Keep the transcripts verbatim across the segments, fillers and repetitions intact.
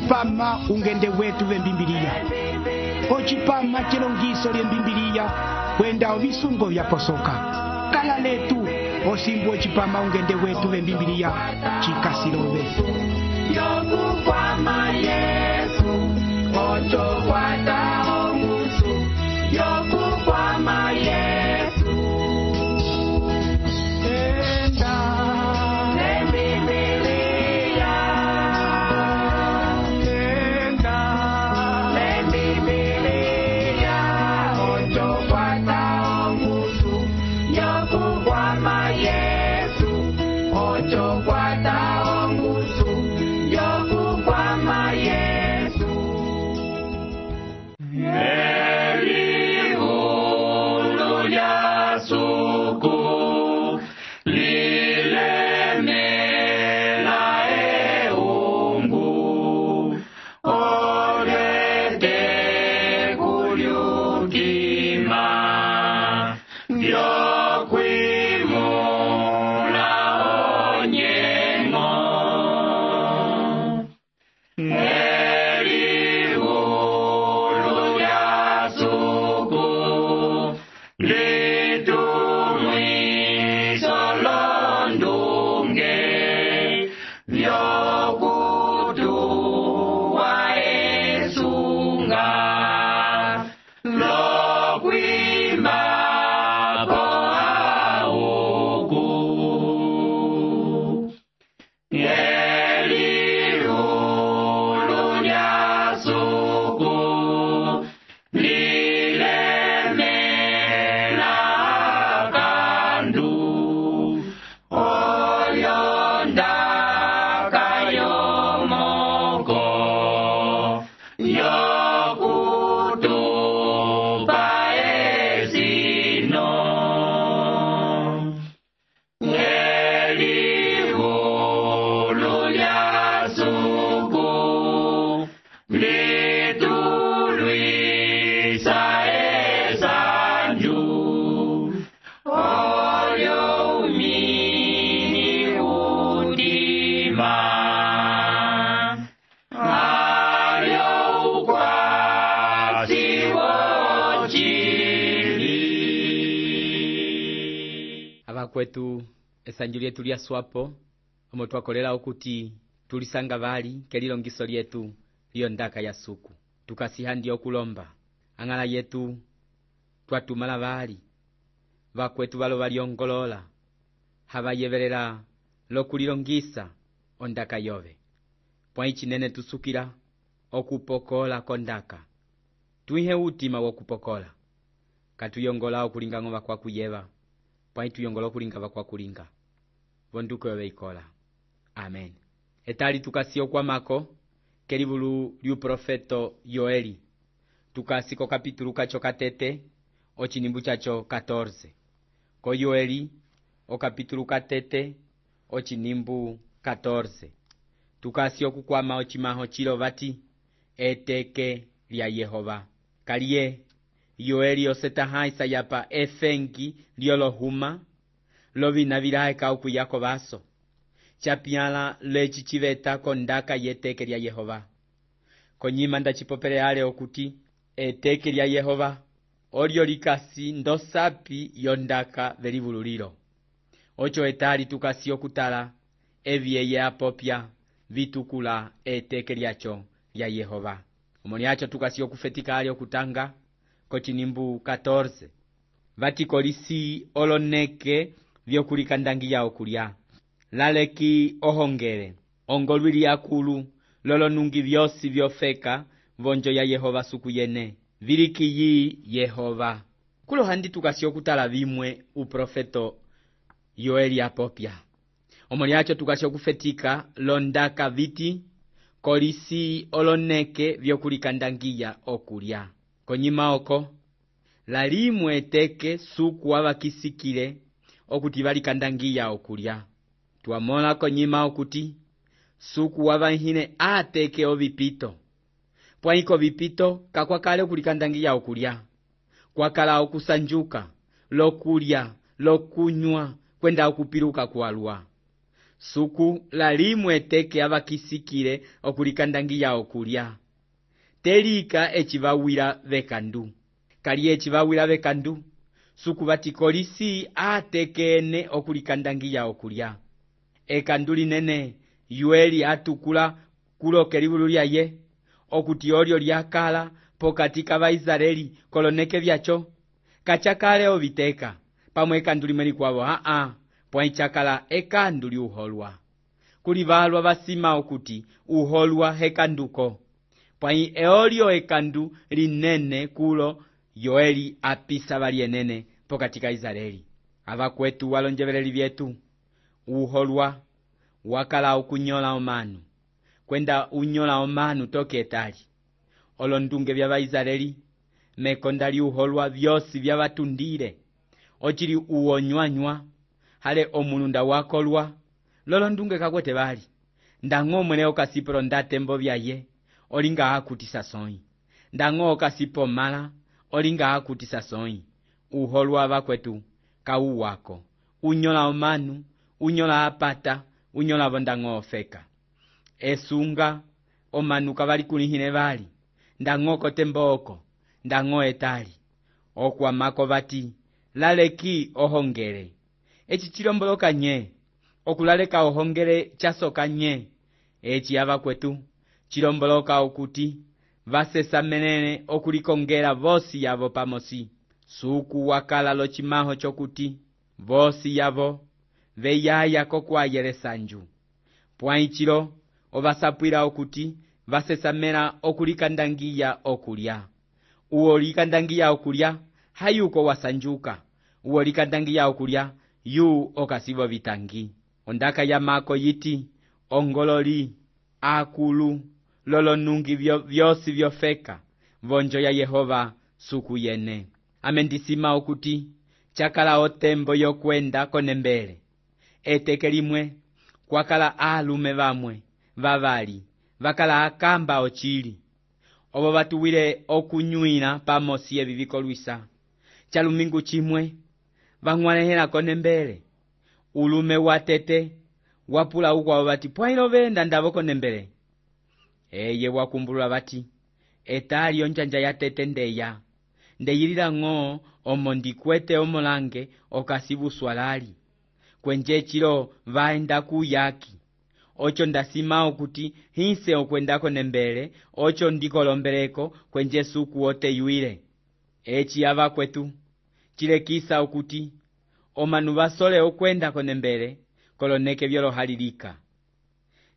ocipama ungende wetu vembimbiliya, ocipama celongiso lyembimbiliya kwenda ovisungo vyaposoka. Kala letu osimbu ocipama ungende wetu vembimbiliya cikasilove. Yokukwama Yesu, ocho kwata ongusu. Yokukwama Yesu, enda lembimbiliya, enda lembimbiliya, ocho kwata ongusu. Yokukwama Yesu, ocho kwata ongusu. Yokukwama Yesu. Elihulu lya suku lilemela eungu, olete kulyukima vyokwimula onyengo. Elihulu lya suku litumwiso londunge vyokutuwa esunga lokwimbapo auku. Elihulu lya suku lilemela kandu, oyondaka yomoko yokutupa esino. Elihulu lya suku litulwisa esanju, olyo umini utima, alyo ukwasi wochili. Abakwetu esanju lyetu lya swapo omo twakolela okuti tulisanga bali kelilongiso lyetu liyo ndaka ya suku. Tukasihandya okulomba ang'ala yetu twatumala bali bakwetu balo balyongolola habayebelela lokulilongisa ondaka yove. Pwa ichinene tusukila okupokola kondaka. Tuihe utima wokupokola. Katuyongola okulinga ng'oba kwa kuyeba. Pwa ituyongola okulinga bakwa kulinga. Bonduko yove ikola. Amen. Etali tukasio kwa mako kelibulu liu profeto Yoeli. Tukasiko kapitulu kacho katete ochinimbu chacho catorce. Ko Yoeli o kapitulu katete ochinimbu catorce. Tukasio kukwama ochimaho chilo bati eteke lya Yehova. Kaliye Yoeli osetaha isayapa efengi liolohuma lovina virahe kauku yako baso. Chapiala lechi chiveta kondaka yeteke lya Yehova. Konyima ndachipopele ale okuti eteke lya Yehova olyo likasi ndosapi yondaka velivululilo. Ocho etali tukasi okutala evyeye apopya vitukula eteke lyacho lya Yehova. Omoni acho tukasi okufetika ale okutanga kochinimbu catorce. Vatikolisi oloneke vyokulikandangiya okulya. Laleki ohongele ongolwili akulu lolonungi vyosi vyofeka vonjo ya Yehova suku yene vilikiyi Yehova. Kulo handi tukasi okutala vimwe uprofeto Yoeli apopya. Omoni acho tukasi okufetika londaka viti kolisi oloneke vyokulikandangiya okulya. Konyima oko lalimwe eteke suku wabakisikile okuti balikandangiya okulya. Tuamola konyima okuti suku wabanhine ateke ovipito. Pwaiko vipito kakwakale okulikandangiya okulya. Kwakala okusanjuka, lokulya, lokunywa, kwenda okupiruka kualua. suku lalimwe eteke avakisikile okulikandangiya okulya. Telika ecivawila vekandu. Kali ecivawila vekandu, suku vatikolisi atekene okulikandangiya okulya. Ekandu linene yueli atukula kuloke livulu lyaye, okuti olyo lyakala pokati k'Abaisraeli koloneke vyacho, kachakale oviteka, pamwe ekandu limwe likwavo aa, pwaichakala ekandu liuholwa. Kuli valwa vasima okuti uholwa hekanduko, pwai eolyo ekandu linene kulo yoeli apisa valienene pokati ka Israeli. Avakwetu walonjeveleli vyetu, uholwa wakala okunyola omanu, kwenda unyola omanu toke etali. Olondunge vya Baisraeli mekonda liuholwa vyosi vya vatundile, ochili uonyanywa, hale omununda wakolwa, lolondunge kakwete vali. Ndango mwene okasipro ndatembo vyaye, olinga hakutisa soi. Ndango okasipo mala, olinga hakutisa soi. Uholwa vakwetu kau wako. Unyola omanu, unyola apata, unyola vondango ofeka. Esunga omanu kavali kunihine vali. Ndango kotembo oko, ndango etali. Okwa mako vati, laleki ohongele. Echi chilomboloka nye, okulaleka ohongele chasoka nye. Echi avakwetu, chilomboloka okuti, vasesa menene okulikongela vosi yavo pamosi. Suku wakala lochimaho chokuti, vosi yavo, veyaya kokwayele sanju. Pwaichilo, ovasapwila okuti, vasesamela okulikandangiya okulya. Uwo likandangiya okulya, hayuko wasanjuka. Uwo likandangiya okulya, yu okasivo vitangi. Ondaka ya mako yiti, ongololi, akulu, lolonungi vyo, vyosi vyofeka, vonjo ya Yehova suku yene. Amendisima okuti, chakala otembo yokwenda konembele. Eteke limwe, kwakala alume vamwe, vavali, vakala akamba ochili. Obo batuwile okunyuina pamosi eviviko luisa. Chalumingu chimwe, vangwanehela konembele. Ulume watete, wapula ukwa wabati, pwailo venda ndavo konembele. Eye wakumbulula bati, etali onjanja ya tete ndeya. Ndeyilila ngo omondikwete omolange okasibu swalali. Kwenje chilo vaenda kuyaki. Ocho ndasima okuti hinse okwendako nembele, ocho ndikolombeleko kwenje suku ote yuile. Echi ava kwetu, chile kisa okuti, omanu basole okwendako nembele, koloneke vyolo halilika.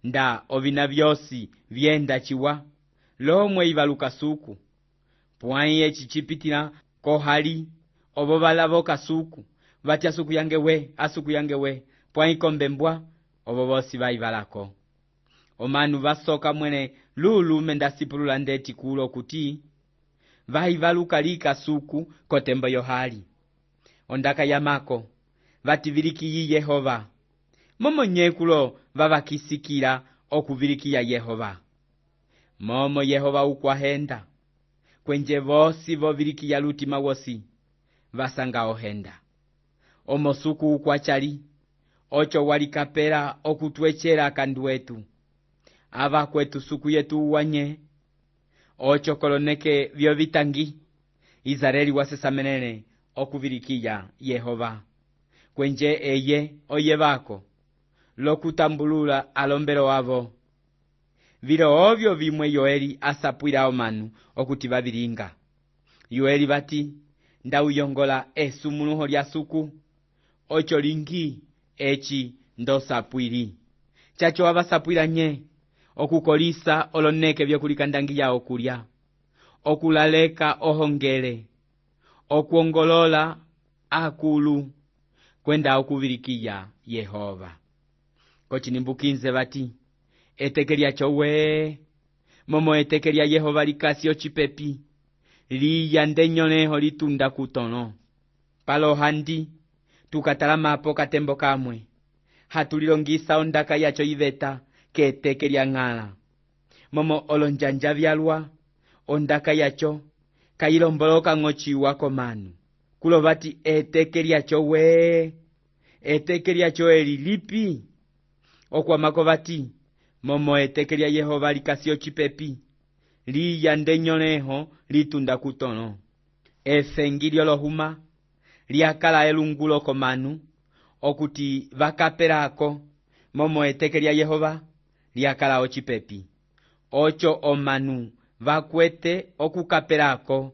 Nda ovina vyosi vyenda chiwa, lomwe ivaluka suku. Pwai echi chipitila kohali, obo balavoka suku, vatia suku yangewe, asuku yangewe, pwai kombembwa, obo bosi vaivalako. Omanu vasoka mwene lulu mendasipulula ndeti kulo kuti, vaivaluka lika suku kotembo yohali. Ondaka yamako, vativiliki Yehova. Momo nyekulo vavakisikila okuvilikia Yehova. Momo Yehova ukwahenda. Kwenje vosi vovilikia lutima wosi, vasanga ohenda. Omo suku ukwachali, ocho walikapela okutwechela kanduetu. Ava kwetu suku yetu uwanye, ocho koloneke vyo vitangi, Israeli wasesa menene okuvilikia Yehova. Kwenje eye oye vako, lokutambulula alombelo wavo. Vilo ovyo vimwe Yoeli asapwila omanu okuti vavilinga. Yoeli vati, ndauyongola esumunuho lya suku, ocho lingi echi ndosapwili. Chacho avasapwila nye, okukolisa oloneke vyo kulikandangiya okulya, okulaleka ohongele, okuongolola akulu, kwenda okuvilikia Yehova. Kochinimbukinze vati, etekelia chowe, momo etekelia Yehova likasi ochipepi, liya ndenyoneho litunda kutono. Palo handi, tukatalama apo katembo kamwe, hatulilongisa ondaka yacho iveta, ke etekelia ngala. Momo olonjanja vyalwa, ondaka yacho, kailomboloka ngochiwa komanu. Kulo vati etekelia chowe, etekelia chowe lilipi, okwamako bati momo eteke lya Yehova likasi ocipepi liya ndenyoleho litunda kutono. Efengi lyolohuma lyakala elungulo komanu okuti vakapelako momo eteke lya Yehova lyakala ocipepi. Ocho omanu vakwete okukapelako.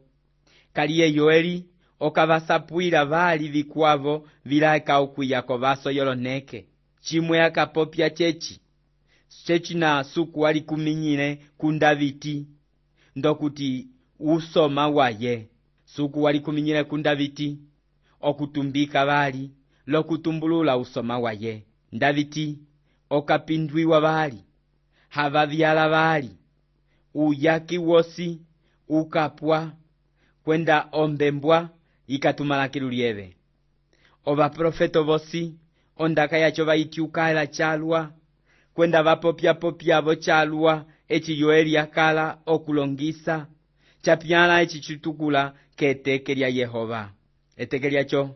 Kaliye Yoeli okavasapuila vali vikwavo vilaeka okwiyako vaso yoloneke. Chimwe akapopya chechi chechina suku wali kuminyile kundaviti ndokuti usoma waye. Suku wali kuminyile kundaviti okutumbika vali lokutumbulula usoma waye. Ndaviti okapindwiwa vali hava vyala vali uyaki wosi ukapwa kwenda ombembwa ikatumalakilo lieve. Ova profeto vosi ondaka yacho vaiti ukala chalwa kwenda vapopya popya vo chalwa echi Yoeli yakala okulongisa chapyala echi chitukula keteke lya Yehova. Eteke lyacho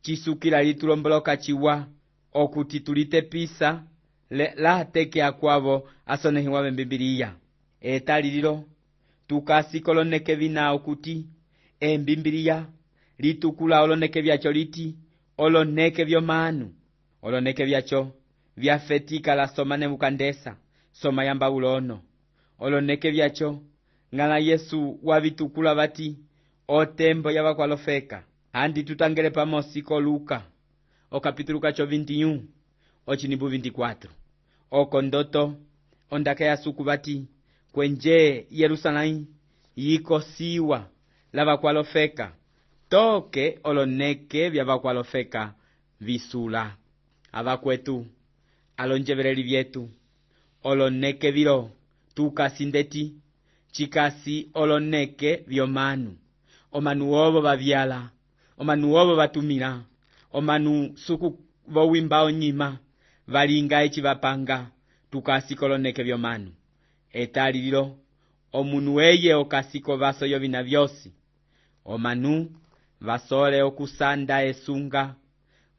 chisukila litulomboloka chiwa okuti tulitepisa le, la teke akwavo asonehiwa bembibiliya. Etali lilo tukasi koloneke vina okuti embibiliya litukula oloneke vyacho liti oloneke vyomanu. Oloneke vyacho vyafetika la soma Nebukandesa soma yamba ulono. Oloneke vyacho ngala Yesu wavitukula vati otembo yavakwalofeka. Handi tutangele pamosi ko Luka o capítulo kacho vinte e um ochinibu vinte e quatro. Oko ndoto ondaka ya suku vati kwenje Yerusalém yikosiwa lavakwalofeka toke oloneke vyavakwalofeka visula. Avakwetu alonjevereli vyetu oloneke vilo tukasindeti chikasi oloneke vyomanu. Omanu ovo vavyala, omanu ovo vatumila, omanu suku vowimba onyima valinga echi vapanga tukasi koloneke vyomanu. Etali lilo omunu eye okasiko vaso yovina vyosi. Omanu vasole okusanda esunga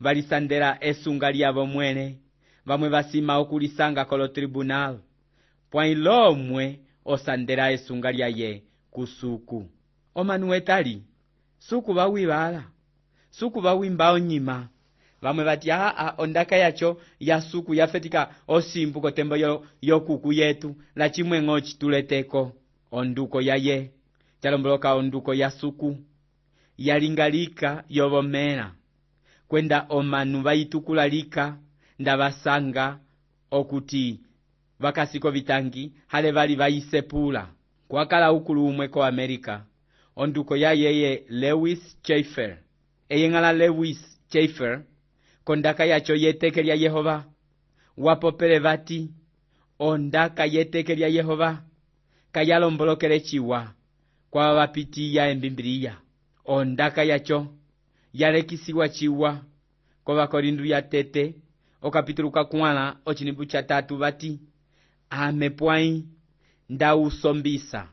valisandela esunga lyavo mwene vamwe vasima okulisanga kolo tribunal pwailomwe osandela esunga lyaye kusuku. Omanu etali suku vawibala suku vawimba onyima vamwe vati aa ondaka yacho ya suku yafetika osimbu kotembo yo, yo kuku yetu la chimwe ngochi tuleteko onduko yaye chalomboloka onduko ya suku yalingalika yovomela kwenda omanu vaitukula lika ndavasanga okuti vakasiko vitangi hale vali vaisepula. Kwakala ukulu umwe ko Amerika onduko ya yeye Lewis Chafer. Eye ngala Lewis Chafer kondaka yacho yeteke lya Yehova wapopele vati ondaka yeteke lya Yehova kayalombolokele chiwa kwa vapiti ya embimbiliya. Ondaka yacho yalekisiwa chiwa kwa vakorindu ya tete o capítulo kakwala ochinibu cha tatu vati amepwai nda usombisa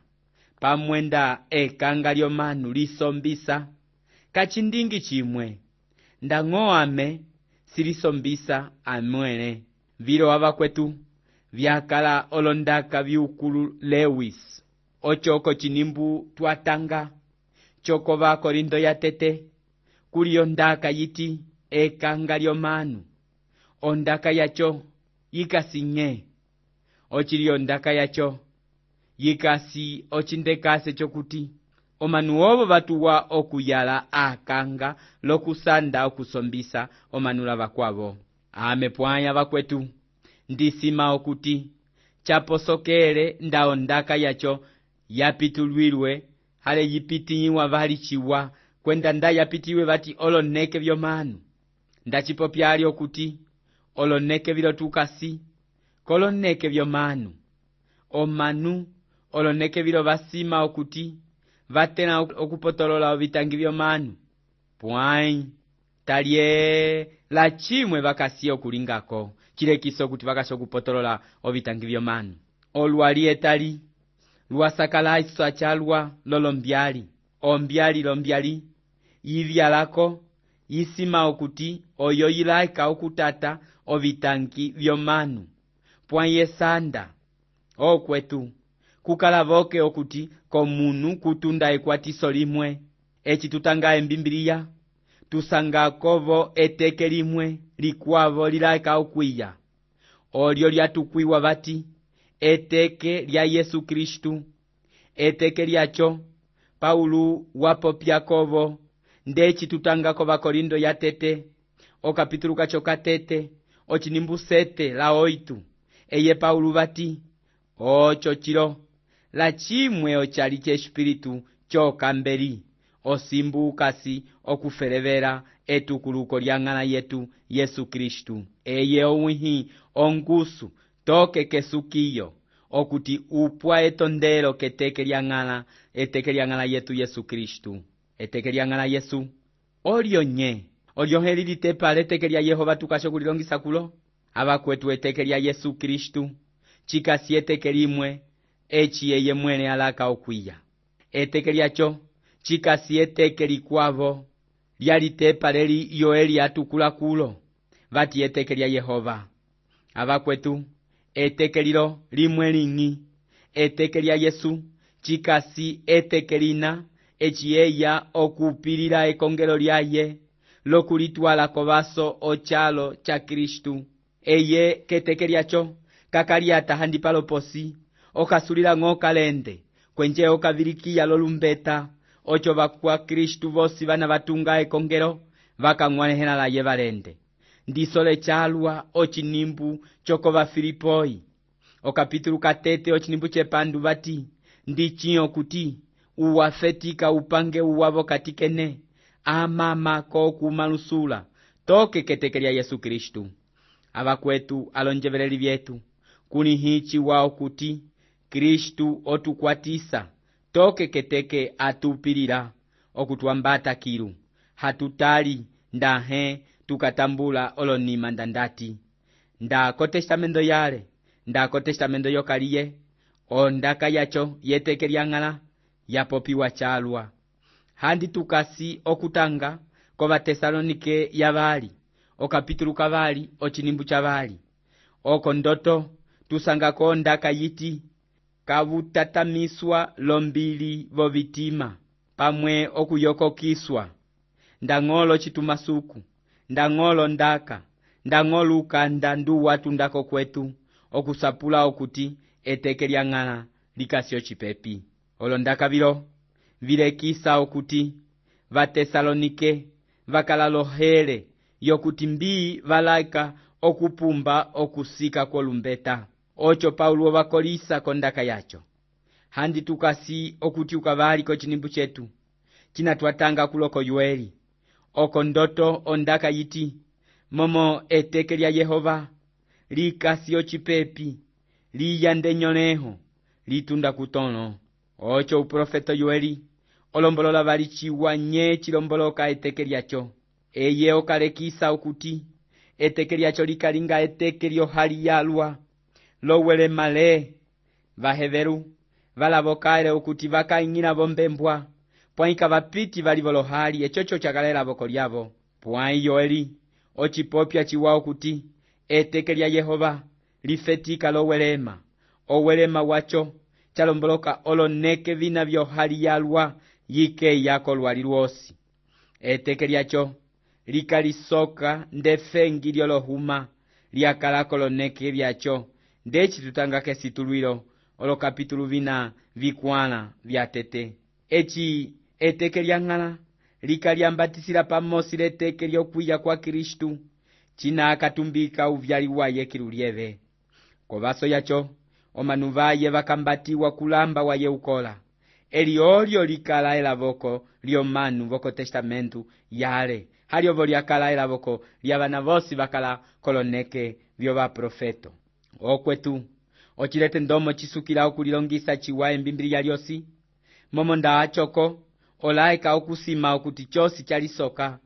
pamwenda ekanga lyomanu lisombisa kachindingi chimwe nda ng'oame silisombisa amwene. Vilo avakwetu vyakala olondaka viukulu Lewis ochoko chinimbu twatanga choko vakorindo ya tete kuli ondaka yiti ekanga lyomanu. Ondaka yacho yikasi nye ochili ondaka yacho yikasi ochindekase chokuti omanu ovo vatuwa okuyala akanga lokusanda okusombisa omanu lavakwavo. Amepwaya vakwetu ndisima okuti chaposokele nda ondaka yacho yapitulwilwe hale yipitiwa vali chiwa kwenda nda yapitiwe vati oloneke vyomanu. Ndachipopyali okuti oloneke vilo tukasi koloneke vyomanu. Omanu oloneke vilo vasima okuti vatena okupotolola ovitangi vyomanu. Pwai talye la chimwe vakasi okulingako chilekiso okuti vakasi okupotolola ovitangi vyomanu. Olwali etali luasakala isa chalwa lolombyali. Ombyali lombyali yivyalako yisima okuti oyo yilaika okutata ovitanki vyomanu pwãye sanda okwetu kukalavoke okuti komunu kutunda ekwatiso limwe eci tutanga embimbiliya tusangakovo eteke limwe likwavo lilaika okwiya olyo lyatukwiwa vati eteke lya Yesu Kristu. Eteke lyacho Paulo wapopyakovo ndeci tutangako vakorindo ya tete okapitulu kacho katete ocinimbu sete la oitu eye Paulo vati ocho chilo la chimwe ochali chespiritu chokambeli osimbu kasi okuferevera etukuluko lyang'ana yetu Yesu Kristu eye owihi ongusu toke kesukiyo okuti upwa etondelo keteke lyang'ana eteke lyang'ana yetu Yesu Kristu. Eteke lyang'ana Yesu olyo nye olyo heli litepa leteke lya Yehova tukasho kulilongisa kulo abakwetu eteke lya Yesu Kristu chikasi eteke limwe echi eye mwene alaka okwiya eteke lyacho chikasi eteke likwavo lyalitepa leli yoeli atukula kulo vati eteke lya Yehova abakwetu eteke lilo limwe ling'i eteke lya Yesu chikasi eteke lina echi eya okupilila ekongelo lyaye lokulitwala kovaso ochalo cha Kristu eye keteke lyacho kakaliata handi paloposi okasulila ng'okalende kwenje okavilikiya lolumbeta ocho vakwa Kristu vosi vana vatunga ekongelo vakang'wanehela laye valende ndisole chalwa ochinimbu chokova Filipoi okapitulu katete ochinimbu chepandu vati ndichiyo kuti uwafetika upange uwavo katikene amama kokumalusula toke keteke lya Yesu Kristu. Abakwetu alonjeveleli vyetu kuni hichi wao kuti Kristu otukwatisa toke keteke atupilila okutuambata kilu hatutali ndahe tukatambula olonima ndandati ndako testamento yale ndako testamento yokaliye ondaka yacho yeteke lyang'ala yapopiwa chalwa handi tukasi okutanga kova Tesalonike yavali okapitulu kavali ochinimbu chavali oko ndoto tusangako ondaka yiti kavutatamiswa lombili vovitima pamwe okuyokokiswa ndang'olo chitumasuku ndang'olo ndaka ndang'olo ukanda ndu watundako kwetu okusapula okuti eteke lyang'ala likasyo chipepi olondaka vilo vilekisa okuti vatesalonike vakalalohere yokuti mbii valaika okupumba okusika kolumbeta ocho Paulo vakolisa kondaka yacho handi tukasi okuti ukavali kochinimbu chetu chinatwatanga kuloko yueli oko ndoto ondaka yiti momo eteke lya Yehova likasyo chipepi liyande nyoleho litunda kutono ocho uprofeto yueli olombolola valitchiwa nye chilomboloka eteke lyacho eye okalekisa okuti eteke lyacho likalinga eteke lyohali yalwa lowele male vaheveru valavokaele okuti vakaing'ila vombembwa pwaika vapiti vali volohali echocho chakalela voko lyavo pwai yoeli ochipopya chiwa okuti eteke lya Yehova lifetika lowelema owelema wacho chalomboloka oloneke vina vyohali yalwa yike yako lwali lwosi eteke lyacho likalisoka ndefengi lyolohuma lyakalako loneke lyacho ndeci tutanga kesitulwilo olokapitulu vina vikwala vya tete echi eteke lyang'ala likalyambatisila pamosi leteke lyokwiya kwa Kristu china akatumbika uvyali waye kilulyeve kovaso yacho omanu vaye vakambatiwa kulamba waye ukola eli olyo likala elavoko lyomanu voko testamentu yale haliovo lyakala elavoko lyavana vosi vakala koloneke vyovaprofeto okwetu ochilete ndomo chisukila okulilongisa chiwa embimbiliya lyosi momo ndaachoko olaika okusima okuti chosi chalisoka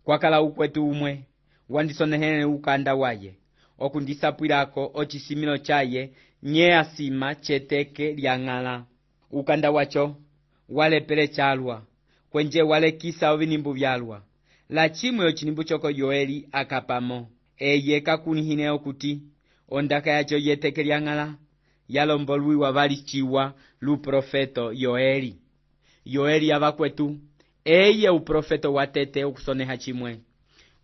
kwakala ukwetu umwe wandisonehele ukanda waye okundisapwilako ochisimilo chaye nye asima cheteke lyang'ala ukanda wacho walepele chalwa kwenje walekisa ovinimbu vyalwa la chimwe ochinimbu choko yoeli akapamo eye kakunihine okuti ondaka yacho yeteke lyang'ala yalombolwiwa valiciwa luprofeto yoeli yoeli yavakwetu eye uprofeto watete okusoneha chimwe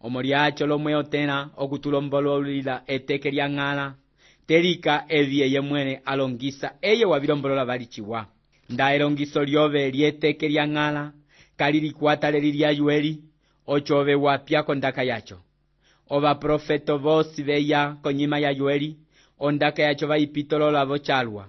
omo lyacho lomwe otena okutulombololila eteke lyang'ala telika evi eye mwene alongisa eye wavilombolola valiciwa nda elongiso lyove lyeteke lyang'ala kalilikwata leli lya yoeli ochove wapya kondaka yacho ovaprofeto vosi veya konyima ya yoeli ondaka yacho vaipitolola vochalwa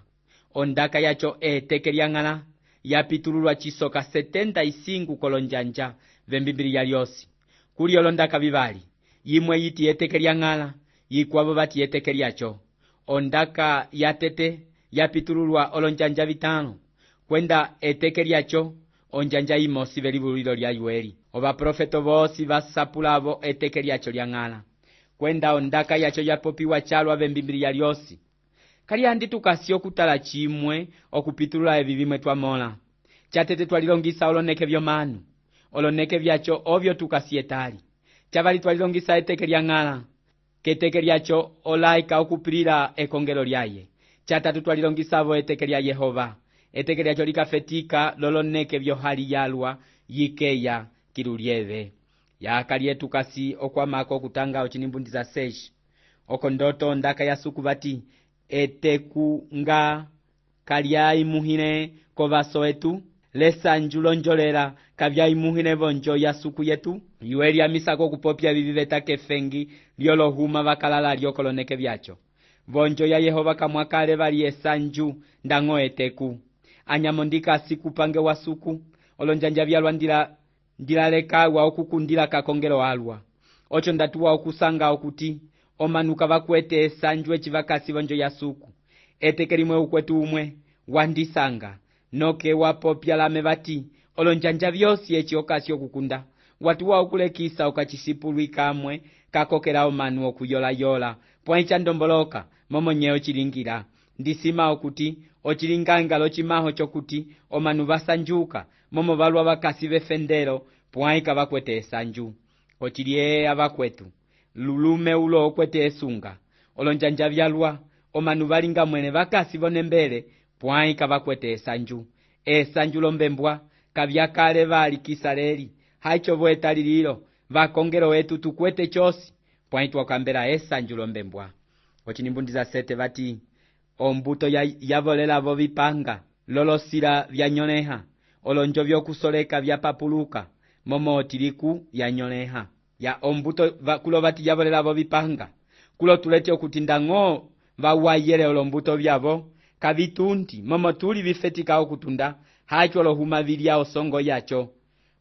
ondaka yacho eteke lyang'ala yapitululwa chisoka setenta y cinco kolonjanja vembimbili lyosi kuli olondaka vivali yimwe yiti eteke lyang'ala yikwavo vati eteke lyacho ondaka yatete yapitululwa olonjanja vitano kwenda eteke lyacho onjanja imosi velivulilo lya yoeli ovaprofeto vosi vasapulavo eteke lyacho lyang'ala kwenda ondaka yacho yapopiwa chalwa vembimbili lyosi kali andi tukasi okutala chimwe okupitulula evi vimwe twamola chatete twalilongisa oloneke vyomanu oloneke vyacho ovyo tukasi etali chavali twalilongisa eteke lyang'ala keteke lyacho olaika okupilila ekongelo lyaye chatatu twalilongisavo eteke lya Yehova eteke lyacho likafetika loloneke vyohali yalwa yikeya kilulieve yakali tukasi okwamako okutanga ochinimbundiza sesh okondoto ondaka yasuku vati eteku nga kalyaimuhine kovaso etu lesanju lonjolela kavyaimuhine vonjo yasuku yetu yoeli amisako okupopya vivi vetake fengi lyolohuma vakalala lyokoloneke vyacho vonjo ya Yehova kamwakale vali esanju ndang'o eteku anyamo ndikasi kupange wasuku olonjanja vyalwa ndila ndilalekawa okukundila kakongelo alwa ocho ndatuwa okusanga okuti omanuka vakwete esanju echivakasi vonjo yasuku eteke limwe ukwetu umwe wandisanga noke wapopya lame vati olonjanja vyosi echi okasi okukunda watuwa okulekisa okachisipulwi kamwe kakokela omanu okuyola-yola pwaicha ndomboloka momonye ochilingira ndisima okuti ochilingangalo chimaho chokuti omanu vasanjuka momo valwa vakasi vefendelo pwaika vakwete esanju ochiliye avakwetu lulume ulo okwete esunga olonjanja vyalwa omanu valinga mwene vakasi vonembele pwaika vakwete esanju esanju lombembwa kavyakale vali kisaleli haicho vweta lililo vakongelo wetu tukwete chosi pwaitwa kambela esanju lombembwa ochinimbundiza sete vati ombuto ya, yavolela vo vipanga lolosila vyanyoleha olonjo vyokusoleka vyapapuluka momo otiliku yanyoleha ya ombuto va, kulo vati yavolela vo vipanga kulo tulete okuti ndang'o vawayele olombuto vyavo kavitundi momo tuli vifetika okutunda hacho lohuma vilya osongo yacho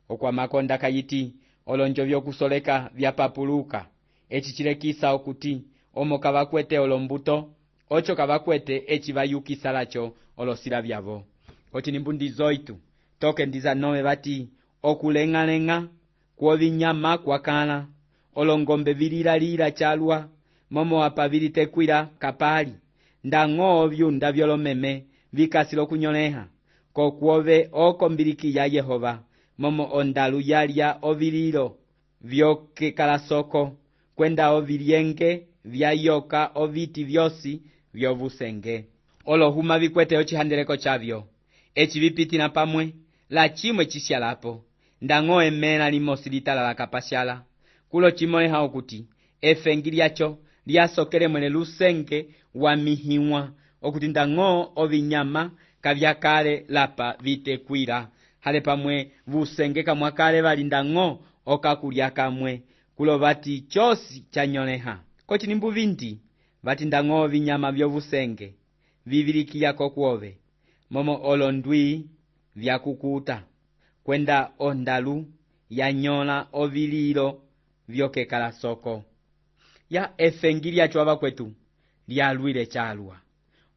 okwamakonda kayiti olonjo vyokusoleka vyapapuluka echi chilekisa okuti omo kavakwete olombuto ocho kavakwete echi vayukisa lacho olosila vyavo ochinimbundizo itu toke ndiza nove vati okuleng'aleng'a kwovinyama kwakala olongombe vililalila chalwa momo apa vilitekwila kapali ndang'o vyunda vyolomeme vikasilo kunyoleha kokwove okombiliki ya Yehova momo ondalu yalya ovililo vyokekala soko kwenda ovilyenge vyayoka oviti vyosi vyovusenge olohuma vikwete ochihandeleko chavyo echi vipitina pamwe la chimwe chisyalapo ndang'o emela limosi litalala kapashala kulo chimoleha okuti efengi lyacho lyasokele mwene lusenge wa mihiwa okuti ndang'o ovinyama kavyakale lapa vitekwila hale pamwe vusenge kamwakale vali ndang'o okakulya kamwe kulo vati chosi chanyoleha kochilimbu vindi vati ndang'o vinyama vyovusenge vivilikiya kokwove momo olondwi vyakukuta kwenda ondalu yanyola ovililo vyokekala soko ya efengi lyacho avakwetu lyalwile chalwa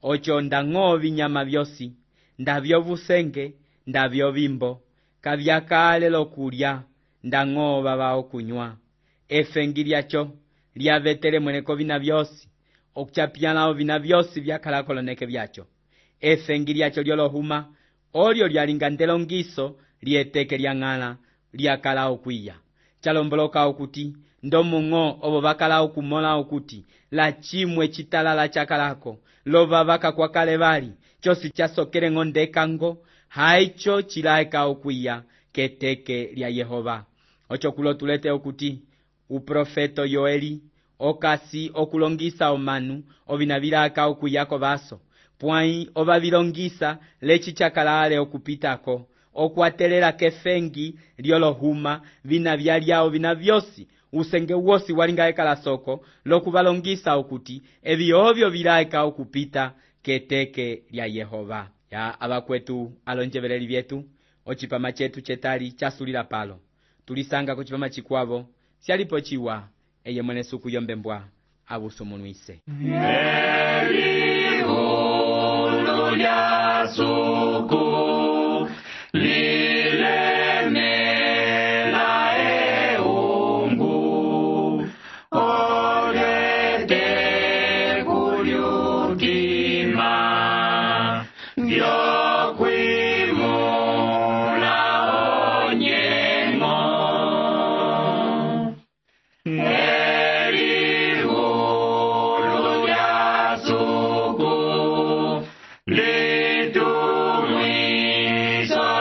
ocho ndang'o vinyama vyosi ndavyovusenge ndavyovimbo kavyakale lokulya ndang'o vava okunywa efengi lyacho lyavetele mweneko vina vyosi okuchapyala vina vyosi vyakala koloneke vyacho efengi lyacho lyolohuma olyo lyalinga ndelongiso lyeteke lyang'ala lyakala okwiya chalomboloka okuti ndomung'o obo bakala okumola okuti la chimwe chitalala chakalako lova bakakwakale bali chosi chasokele ng'o ndekango haicho chilaeka okwiya keteke lya Yehova. Ocho kulo tulete okuti uprofeto Yoeli okasi okulongisa omanu ovina bilaka okuyako baso pwai oba bilongisa lechi chakalale okupitako okwatelela kefengi lyolohuma vina byalyao vina vyosi usenge wosi walinga ekala soko lokubalongisa okuti ebi obyo bilaeka okupita keteke lya Yehova. Ya abakwetu alonjebereli byetu ochipama chetu chetali chasulila palo tulisanga kuchipama chikwavo syalipo chiwa eye mwene suku yombembwa abusumunuise Elihu lya suku lilemela eungu olete kulyutima vyokwimula onyengo Elihu lya suku litumwiso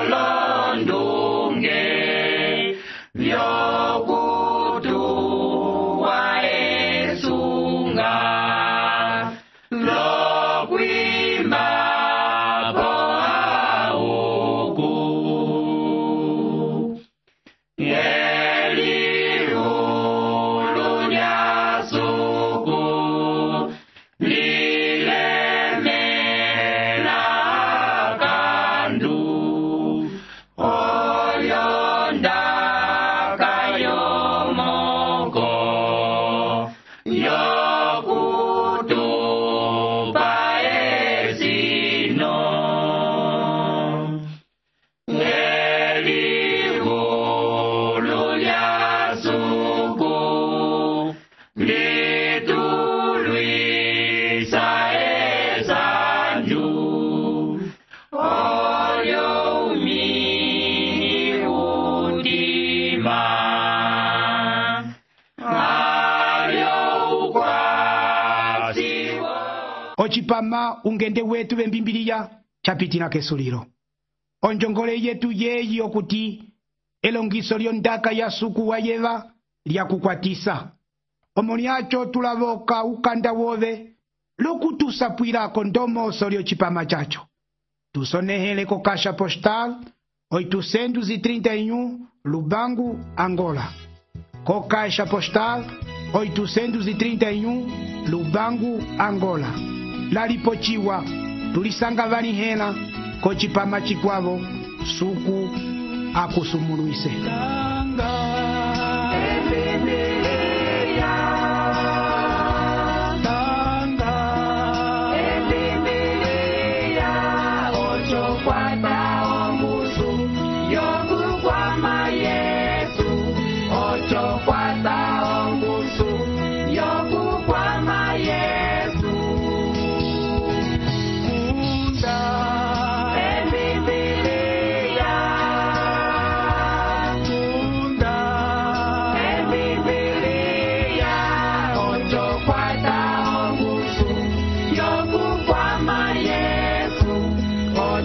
londunge vyokutuwa esunga lokwimba boauku Elihu lya suku lilemela kandu olyondaka yomoko yokutupa esino Elihu lya suku litulwisa esanju olyo umini udima alyo ukwasiwo ochipama ungende wetu bembimbiliya chapitina kesulilo onjongole yetu yeyi okuti elongiso lyondaka ya suku wa yeva lyakukwatisa omo lyacho tulaboka ukanda wove lokutusapwilako ndomoso lyocipama chacho tusonehele ko kasha postal oitocentos e trinta e um Lubango, Angola. Co caixa postal oitocentos e trinta e um Lubango, Angola. Laripochiwa tulisanga vanihela kochipama chikwavo suku akusumuluise.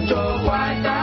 Yo,